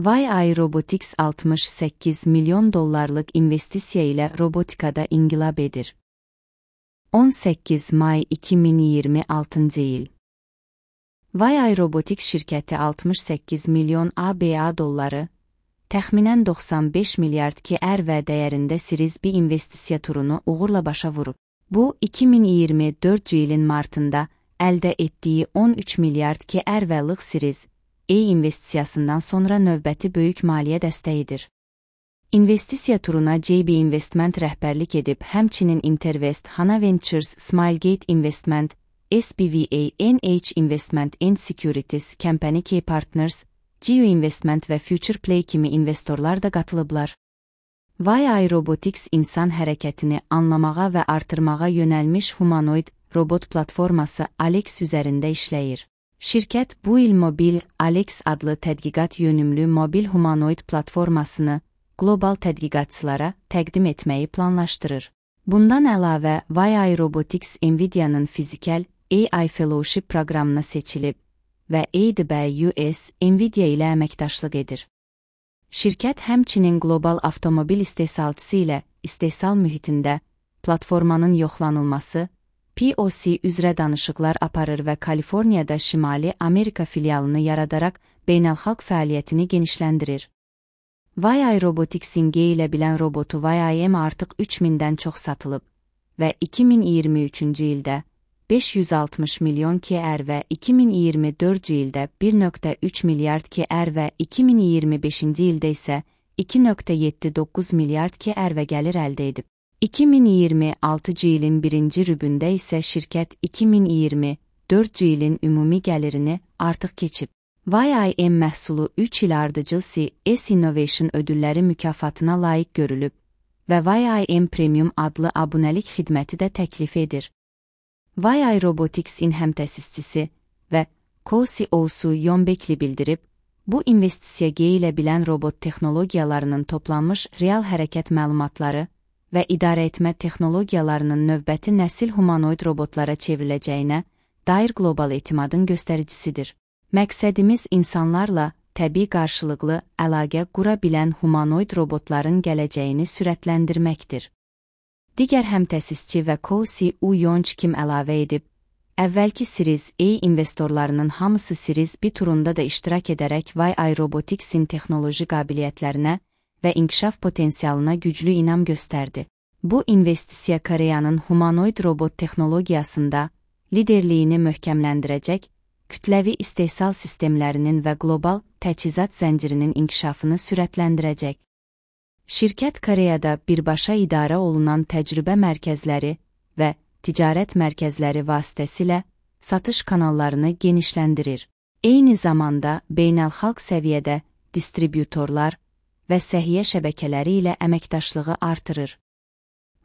YI Robotics 68 milyon dollarlıq investisiya ilə robotikada inqilab edir. 18 may 2026 il. YI Robotics şirkəti 68 milyon ABA dolları, təxminən 95 milyard KRV dəyərində Series B investisiya turunu uğurla başa vurub. Bu, 2024 ilin martında əldə etdiyi 13 milyard KRV-lıq Series A investisiyasından sonra növbəti böyük maliyyə dəstəyidir. İnvestisiya turuna JB Investment rəhbərlik edib, həmçinin Intervest, Hana Ventures, Smilegate Investment, SBVA, NH Investment and Securities, Company K Partners, Geo Investment və Future Play kimi investorlar da qatılıblar. YI Robotics insan hərəkətini anlamağa və artırmağa yönəlmiş humanoid robot platforması Alex üzərində işləyir. Şirkət bu il Mobil Alex adlı tədqiqat yönümlü mobil humanoid platformasını qlobal tədqiqatçılara təqdim etməyi planlaşdırır. Bundan əlavə, YI Robotics Nvidia-nın fizikal AI Fellowship proqramına seçilib və AWS Nvidia ilə əməkdaşlıq edir. Şirkət həmçinin qlobal avtomobil istehsalçısı ilə istehsal mühitində platformanın yoxlanılması, POC üzrə danışıqlar aparır və Kaliforniyada Şimali Amerika filialını yaradaraq beynəlxalq fəaliyyətini genişləndirir. YI Robotics'in G ilə bilən robotu YIM artıq 3000-dən çox satılıb və 2023-cü ildə 560 milyon KR və 2024-cü ildə 1,3 milyard KR və 2025-ci ildə isə 2,79 milyard KR gəlir əldə edib. 2026-cı ilin birinci rübündə isə şirkət 2024-cü ilin ümumi gəlirini artıq keçib. YIM məhsulu 3 il ardıcıl CS Innovation ödülləri mükafatına layiq görülüb və YIM Premium adlı abunəlik xidməti də təklif edir. YI Robotics'in həmtəsisçisi və co-CEO'su Yon Bekli bildirib, bu investisiya G ilə bilən robot texnologiyalarının toplanmış real hərəkət məlumatları və idarəetmə texnologiyalarının növbəti nəsil humanoid robotlara çevriləcəyinə dair qlobal etimadın göstəricisidir. Məqsədimiz insanlarla təbii qarşılıqlı əlaqə qura bilən humanoid robotların gələcəyini sürətləndirməkdir. Digər həmtəsisçi və co-CEO Yon Kim əlavə edib, əvvəlki Series A investorlarının hamısı Series B turunda da iştirak edərək YI Robotics'in texnoloji qabiliyyətlərinə və inkişaf potensialına güclü inam göstərdi. Bu investisiya Koreyanın humanoid robot texnologiyasında liderliyini möhkəmləndirəcək, kütləvi istehsal sistemlərinin və qlobal təchizat zəncirinin inkişafını sürətləndirəcək. Şirkət Koreyada birbaşa idarə olunan təcrübə mərkəzləri və ticarət mərkəzləri vasitəsilə satış kanallarını genişləndirir. Eyni zamanda beynəlxalq səviyyədə distributorlar və səhiyyə şəbəkələri ilə əməkdaşlığı artırır.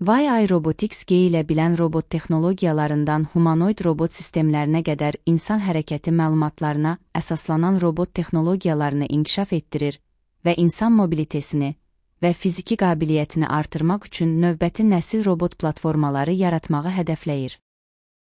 YI Robotics G ilə bilən robot texnologiyalarından humanoid robot sistemlərinə qədər insan hərəkəti məlumatlarına əsaslanan robot texnologiyalarını inkişaf etdirir və insan mobilitesini və fiziki qabiliyyətini artırmaq üçün növbəti nəsil robot platformaları yaratmağı hədəfləyir.